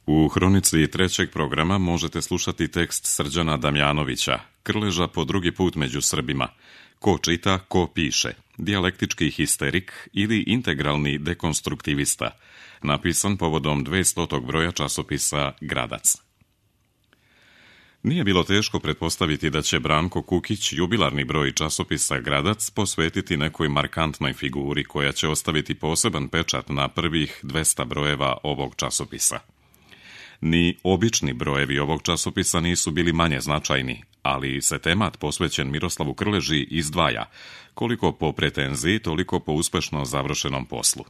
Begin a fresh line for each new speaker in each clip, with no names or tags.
U hronici trećeg programa možete slušati tekst Srđana Damjanovića, Krleža po drugi put među Srbima. Ko čita, ko piše, dijalektički histerik ili integralni dekonstruktivista, napisan povodom 200. broja časopisa Gradac. Nije bilo teško pretpostaviti da će Branko Kukić jubilarni broj časopisa Gradac posvetiti nekoj markantnoj figuri koja će ostaviti poseban pečat na prvih 200 brojeva ovog časopisa. Ni obični brojevi ovog časopisa nisu bili manje značajni, ali se temat posvećen Miroslavu Krleži izdvaja, koliko po pretenziji, toliko po uspešno završenom poslu.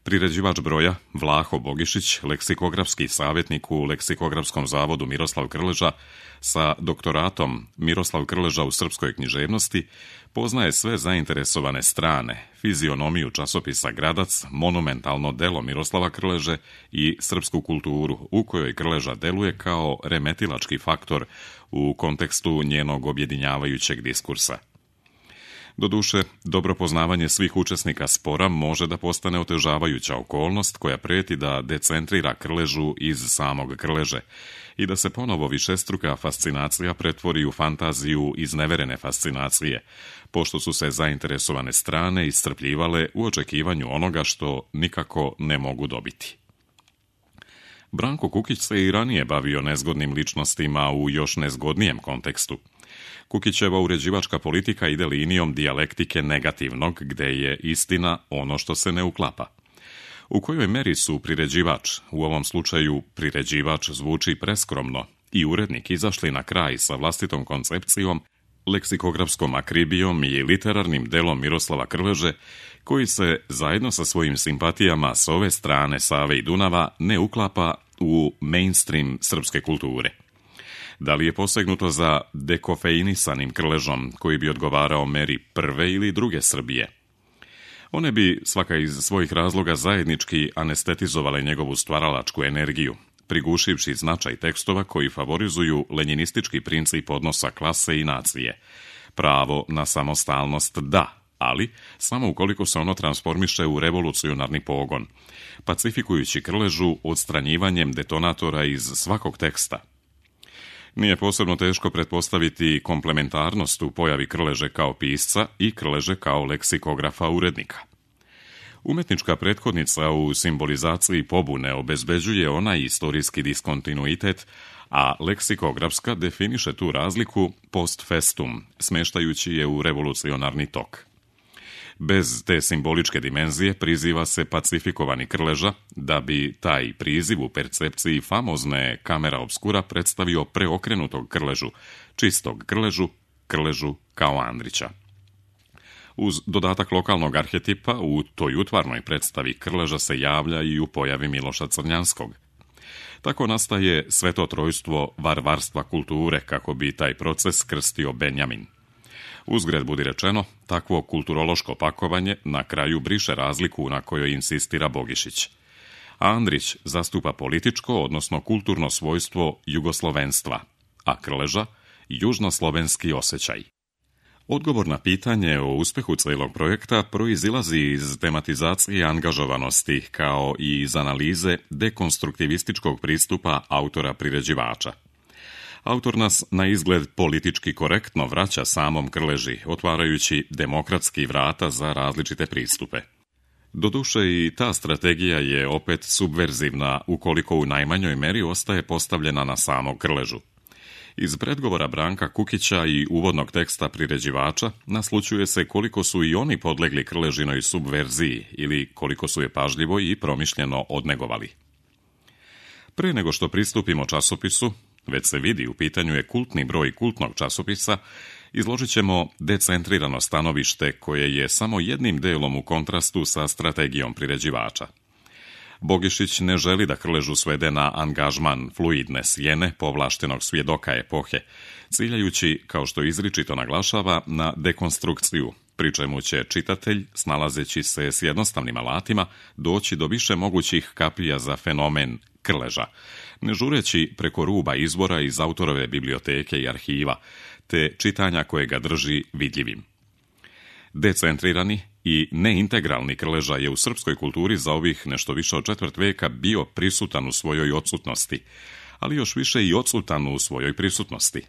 Priređivač broja, Vlaho Bogišić, leksikografski savjetnik u Leksikografskom zavodu Miroslav Krleža, sa doktoratom Miroslav Krleža u srpskoj književnosti, poznaje sve zainteresovane strane, fizionomiju časopisa Gradac, monumentalno delo Miroslava Krleže i srpsku kulturu, u kojoj Krleža deluje kao remetilački faktor u kontekstu njenog objedinjavajućeg diskursa. Doduše, dobro poznavanje svih učesnika spora može da postane otežavajuća okolnost koja preti da decentrira Krležu iz samog Krleže i da se ponovo višestruka fascinacija pretvori u fantaziju izneverene fascinacije, pošto su se zainteresovane strane iscrpljivale u očekivanju onoga što nikako ne mogu dobiti. Branko Kukić se i ranije bavio nezgodnim ličnostima u još nezgodnijem kontekstu. Kukićeva uređivačka politika ide linijom dijalektike negativnog, gde je istina ono što se ne uklapa. U kojoj meri su priređivač, u ovom slučaju priređivač zvuči preskromno, i urednik izašli na kraj sa vlastitom koncepcijom, leksikografskom akribijom i literarnim delom Miroslava Krleže, koji se zajedno sa svojim simpatijama s ove strane Save i Dunava ne uklapa u mainstream srpske kulture. Da li je posegnuto za dekofeinisanim Krležom koji bi odgovarao meri prve ili druge Srbije? One bi svaka iz svojih razloga zajednički anestetizovale njegovu stvaralačku energiju, prigušivši značaj tekstova koji favorizuju lenjinistički princip odnosa klase i nacije. Pravo na samostalnost da, ali samo ukoliko se ono transformiše u revolucionarni pogon, pacifikujući Krležu odstranjivanjem detonatora iz svakog teksta. Nije posebno teško pretpostaviti komplementarnost u pojavi Krleže kao pisca i Krleže kao leksikografa urednika. Umetnička prethodnica u simbolizaciji pobune obezbeđuje onaj istorijski diskontinuitet, a leksikografska definiše tu razliku post festum, smeštajući je u revolucionarni tok. Bez te simboličke dimenzije priziva se pacifikovani Krleža, da bi taj priziv u percepciji famozne kamera obskura predstavio preokrenutog Krležu, čistog Krležu kao Andrića. Uz dodatak lokalnog arhetipa, u toj utvarnoj predstavi Krleža se javlja i u pojavi Miloša Crnjanskog. Tako nastaje sve to trojstvo varvarstva kulture, kako bi taj proces krstio Benjamin. Uzgred budi rečeno, takvo kulturološko pakovanje na kraju briše razliku na kojoj insistira Bogišić. Andrić zastupa političko, odnosno kulturno svojstvo jugoslovenstva, a Krleža južnoslovenski osjećaj. Odgovor na pitanje o uspehu celog projekta proizilazi iz tematizacije angažovanosti, kao i iz analize dekonstruktivističkog pristupa autora priređivača. Autor nas na izgled politički korektno vraća samom Krleži, otvarajući demokratski vrata za različite pristupe. Doduše i ta strategija je opet subverzivna, ukoliko u najmanjoj meri ostaje postavljena na samog Krležu. Iz predgovora Branka Kukića i uvodnog teksta priređivača naslućuje se koliko su i oni podlegli Krležinoj subverziji ili koliko su je pažljivo i promišljeno odnegovali. Pre nego što pristupimo časopisu, već se vidi u pitanju je kultni broj kultnog časopisa, izložit ćemo decentrirano stanovište koje je samo jednim delom u kontrastu sa strategijom priređivača. Bogišić ne želi da Krležu svede na angažman fluidne sjene povlaštenog svjedoka epohe, ciljajući, kao što izričito naglašava, na dekonstrukciju, pri čemu će čitatelj, snalazeći se s jednostavnim alatima, doći do više mogućih kapija za fenomen Krleža, ne žureći preko ruba izbora iz autorove biblioteke i arhiva, te čitanja koje ga drži vidljivim. Decentrirani i neintegralni Krleža je u srpskoj kulturi za ovih nešto više od četvrt veka bio prisutan u svojoj odsutnosti, ali još više i odsutan u svojoj prisutnosti.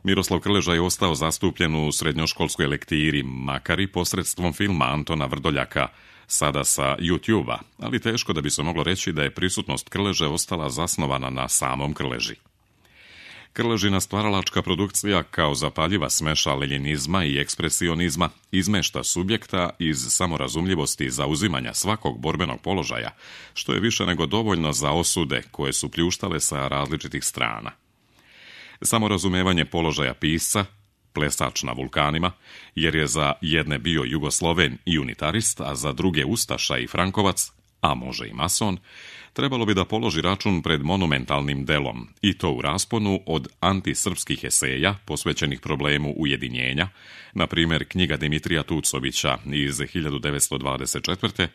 Miroslav Krleža je ostao zastupljen u srednjoškolskoj lektiri, makar i posredstvom filma Antona Vrdoljaka, sada sa YouTube-a, ali teško da bi se moglo reći da je prisutnost Krleže ostala zasnovana na samom Krleži. Krležina stvaralačka produkcija kao zapaljiva smeša lenjinizma i ekspresionizma izmešta subjekta iz samorazumljivosti zauzimanja svakog borbenog položaja, što je više nego dovoljno za osude koje su pljuštale sa različitih strana. Samorazumevanje položaja pisca, plesač na vulkanima, jer je za jedne bio Jugosloven i unitarist, a za druge ustaša i frankovac, a može i mason, trebalo bi da položi račun pred monumentalnim delom, i to u rasponu od antisrpskih eseja posvećenih problemu ujedinjenja, na primjer knjiga Dimitrija Tucovića iz 1924.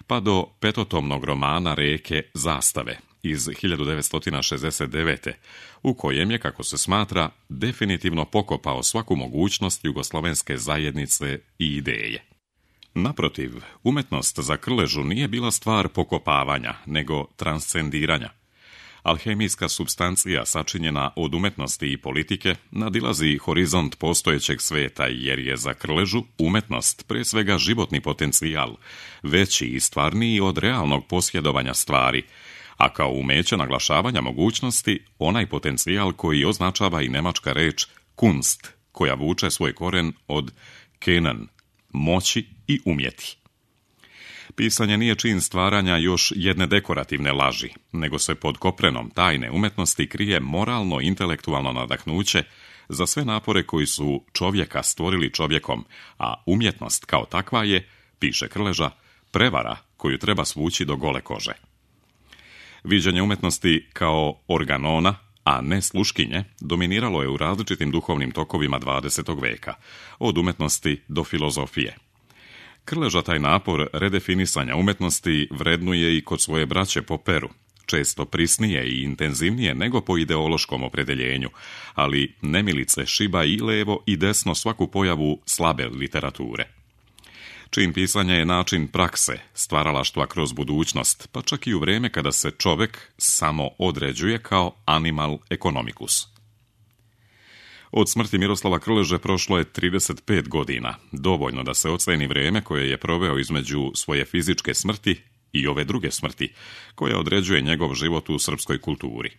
pa do petotomnog romana Reke Zastave iz 1969. u kojem je, kako se smatra, definitivno pokopao svaku mogućnost jugoslovenske zajednice i ideje. Naprotiv, umetnost za Krležu nije bila stvar pokopavanja, nego transcendiranja. Alhemijska supstancija sačinjena od umetnosti i politike nadilazi horizont postojećeg sveta, jer je za Krležu umetnost pre svega životni potencijal, veći i stvarniji od realnog posjedovanja stvari, a kao umeće naglašavanja mogućnosti onaj potencijal koji označava i nemačka reč Kunst, koja vuče svoj koren od Können, moći i umjeti. Pisanje nije čin stvaranja još jedne dekorativne laži, nego se pod koprenom tajne umetnosti krije moralno-intelektualno nadahnuće za sve napore koji su čovjeka stvorili čovjekom, a umjetnost kao takva je, piše Krleža, prevara koju treba svući do gole kože. Viđenje umetnosti kao organona, a ne sluškinje, dominiralo je u različitim duhovnim tokovima 20. veka, od umetnosti do filozofije. Krleža taj napor redefinisanja umetnosti vrednuje i kod svoje braće po peru, često prisnije i intenzivnije nego po ideološkom opredeljenju, ali nemilice šiba i levo i desno svaku pojavu slabe literature. Čin pisanja je način prakse, stvaralaštva kroz budućnost, pa čak i u vrijeme kada se čovjek samo određuje kao animal economicus. Od smrti Miroslava Krleže prošlo je 35 godina, dovoljno da se oceni vrijeme koje je proveo između svoje fizičke smrti i ove druge smrti, koja određuje njegov život u srpskoj kulturi.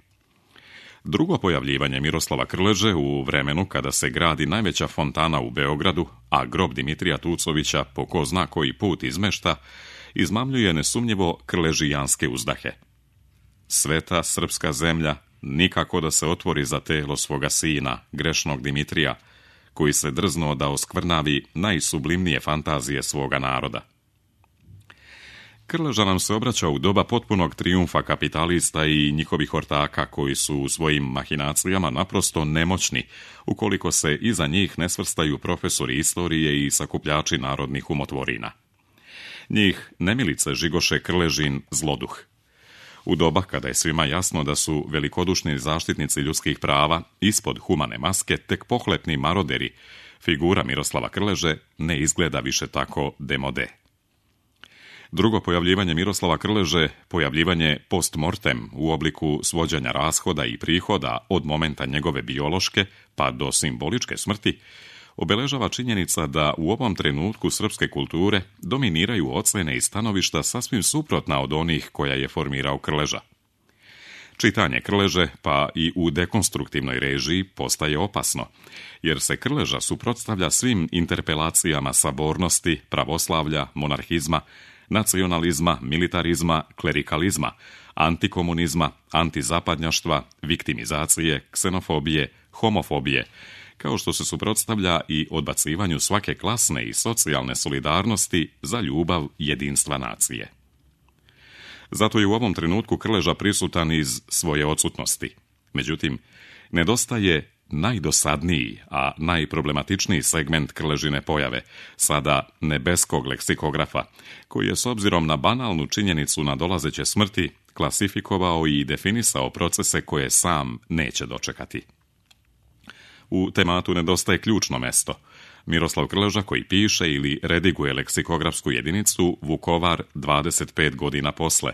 Drugo pojavljivanje Miroslava Krleže u vremenu kada se gradi najveća fontana u Beogradu, a grob Dimitrija Tucovića po ko zna koji put izmešta, izmamljuje nesumnjivo krležijanske uzdahe. Sveta srpska zemlja nikako da se otvori za telo svoga sina, grešnog Dimitrija, koji se drznuo da oskvrnavi najsublimnije fantazije svoga naroda. Krleža nam se obraća u doba potpunog trijumfa kapitalista i njihovih ortaka koji su u svojim mahinacijama naprosto nemoćni, ukoliko se iza njih ne svrstaju profesori istorije i sakupljači narodnih umotvorina. Njih nemilice žigoše Krležin zloduh. U doba kada je svima jasno da su velikodušni zaštitnici ljudskih prava ispod humane maske tek pohlepni maroderi, figura Miroslava Krleže ne izgleda više tako demode. Drugo pojavljivanje Miroslava Krleže, pojavljivanje post mortem u obliku svođenja rashoda i prihoda od momenta njegove biološke pa do simboličke smrti, obeležava činjenica da u ovom trenutku srpske kulture dominiraju ocjene i stanovišta sasvim suprotna od onih koja je formirao Krleža. Čitanje Krleže, pa i u dekonstruktivnoj režiji, postaje opasno, jer se Krleža suprotstavlja svim interpelacijama sabornosti, pravoslavlja, monarhizma, nacionalizma, militarizma, klerikalizma, antikomunizma, antizapadnjaštva, viktimizacije, ksenofobije, homofobije, kao što se suprotstavlja i odbacivanju svake klasne i socijalne solidarnosti za ljubav jedinstva nacije. Zato je u ovom trenutku Krleža prisutan iz svoje odsutnosti. Međutim, nedostaje najdosadniji, a najproblematičniji segment Krležine pojave, sada nebeskog leksikografa, koji je s obzirom na banalnu činjenicu nadolazeće smrti klasifikovao i definisao procese koje sam neće dočekati. U tematu nedostaje ključno mesto, Miroslav Krleža, koji piše ili rediguje leksikografsku jedinicu Vukovar 25 godina posle,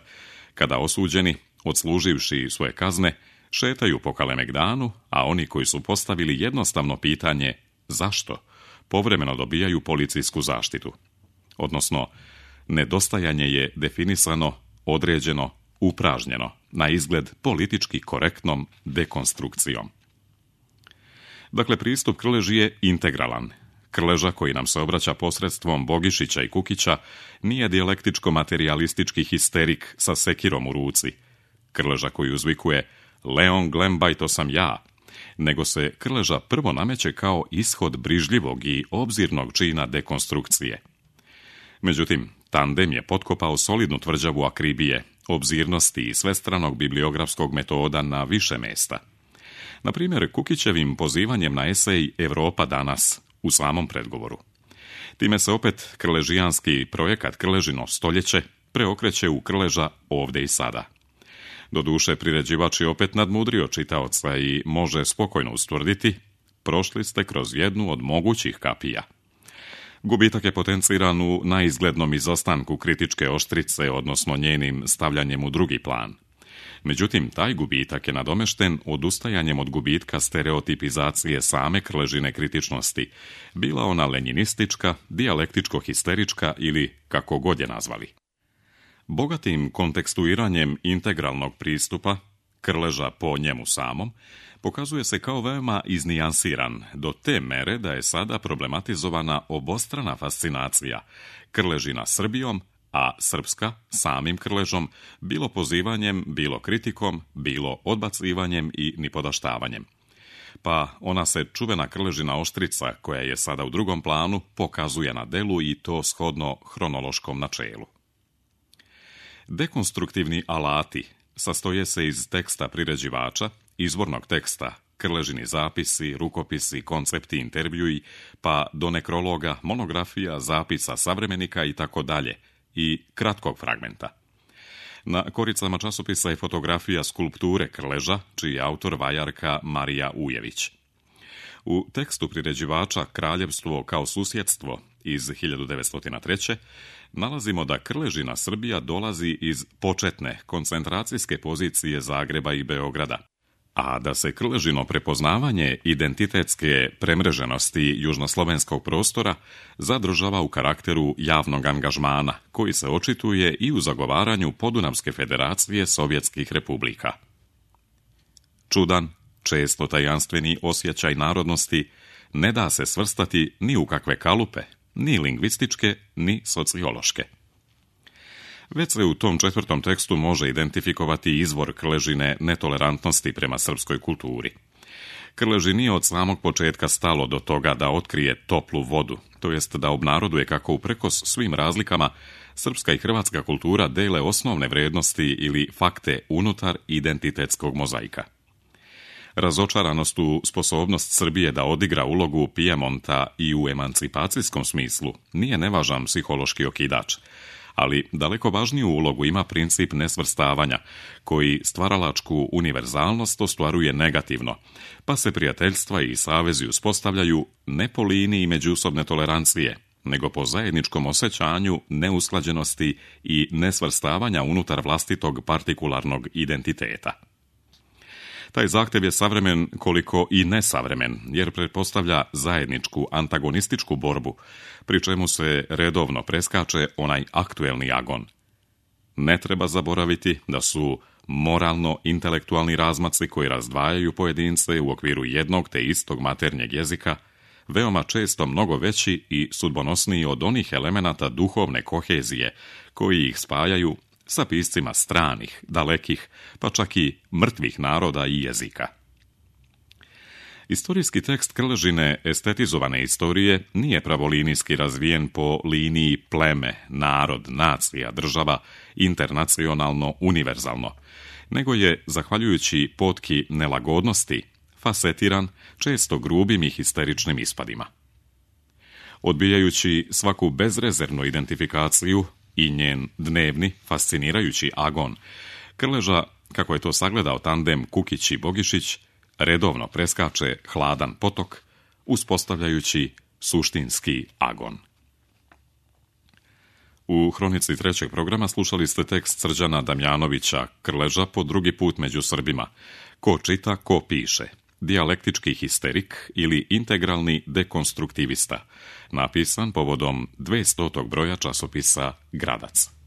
kada osuđeni, odsluživši svoje kazne, šetaju po Kalemegdanu, a oni koji su postavili jednostavno pitanje zašto, povremeno dobijaju policijsku zaštitu. Odnosno, nedostajanje je definisano, određeno, upražnjeno, na izgled politički korektnom dekonstrukcijom. Dakle, pristup Krleži je integralan. Krleža, koji nam se obraća posredstvom Bogišića i Kukića, nije dijalektičko-materialistički histerik sa sekirom u ruci. Krleža koji uzvikuje Leon Glembaj, to sam ja, nego se Krleža prvo nameće kao ishod brižljivog i obzirnog čina dekonstrukcije. Međutim, tandem je potkopao solidnu tvrđavu akribije, obzirnosti i svestranog bibliografskog metoda na više mesta. Na primjer, Kukićevim pozivanjem na esej Evropa danas u samom predgovoru. Time se opet krležijanski projekat Krležino stoljeće preokreće u Krleža ovdje i sada. Doduše, priređivač je opet nadmudrio čitaoca i može spokojno ustvrditi, prošli ste kroz jednu od mogućih kapija. Gubitak je potenciran u naizglednom izostanku kritičke oštrice, odnosno njenim stavljanjem u drugi plan. Međutim, taj gubitak je nadomešten odustajanjem od gubitka stereotipizacije same Krležine kritičnosti, bila ona lenjinistička, dijalektičko-histerička ili kako god je nazvali. Bogatim kontekstuiranjem integralnog pristupa, Krleža po njemu samom, pokazuje se kao veoma iznijansiran, do te mere da je sada problematizovana obostrana fascinacija Krležina Srbijom, a srpska samim Krležom, bilo pozivanjem, bilo kritikom, bilo odbacivanjem i nipodaštavanjem. Pa ona se čuvena Krležina oštrica, koja je sada u drugom planu, pokazuje na delu i to shodno hronološkom načelu. Dekonstruktivni alati sastoje se iz teksta priređivača, izvornog teksta, Krležini zapisi, rukopisi, koncepti, intervjui, pa do nekrologa, monografija, zapisa savremenika i tako dalje, i kratkog fragmenta. Na koricama časopisa je fotografija skulpture Krleža, čiji je autor vajarka Marija Ujević. U tekstu priređivača Kraljevstvo kao susjedstvo iz 1903. nalazimo da Krležina Srbija dolazi iz početne koncentracijske pozicije Zagreba i Beograda, a da se Krležino prepoznavanje identitetske premreženosti južnoslovenskog prostora zadržava u karakteru javnog angažmana, koji se očituje i u zagovaranju Podunavske federacije Sovjetskih republika. Čudan, često tajanstveni osjećaj narodnosti ne da se svrstati ni u kakve kalupe, ni lingvističke, ni sociološke. Već se u tom četvrtom tekstu može identifikovati izvor Krležine netolerantnosti prema srpskoj kulturi. Krleži nije od samog početka stalo do toga da otkrije toplu vodu, to jest da obnaroduje kako uprkos svim razlikama srpska i hrvatska kultura dele osnovne vrednosti ili fakte unutar identitetskog mozaika. Razočaranost u sposobnost Srbije da odigra ulogu Pijemonta i u emancipacijskom smislu nije nevažan psihološki okidač, ali daleko važniju ulogu ima princip nesvrstavanja, koji stvaralačku univerzalnost ostvaruje negativno, pa se prijateljstva i savezi uspostavljaju ne po liniji međusobne tolerancije, nego po zajedničkom osjećanju neusklađenosti i nesvrstavanja unutar vlastitog partikularnog identiteta. Taj zahtev je savremen koliko i nesavremen, jer pretpostavlja zajedničku antagonističku borbu, pri čemu se redovno preskače onaj aktuelni agon. Ne treba zaboraviti da su moralno-intelektualni razmaci koji razdvajaju pojedince u okviru jednog te istog maternjeg jezika veoma često mnogo veći i sudbonosniji od onih elemenata duhovne kohezije koji ih spajaju sa piscima stranih, dalekih, pa čak i mrtvih naroda i jezika. Istorijski tekst Krležine estetizovane istorije nije pravolinijski razvijen po liniji pleme, narod, nacija, država, internacionalno, univerzalno, nego je, zahvaljujući potki nelagodnosti, fasetiran često grubim i histeričnim ispadima. Odbijajući svaku bezrezervnu identifikaciju i njen dnevni, fascinirajući agon, Krleža, kako je to sagledao tandem Kukić i Bogišić, redovno preskače hladan potok, uspostavljajući suštinski agon. U hronici trećeg programa slušali ste tekst Srđana Damjanovića, Krleža po drugi put među Srbima. Ko čita, ko piše. Dijalektički histerik ili integralni dekonstruktivista. Napisan povodom 200. broja časopisa Gradac.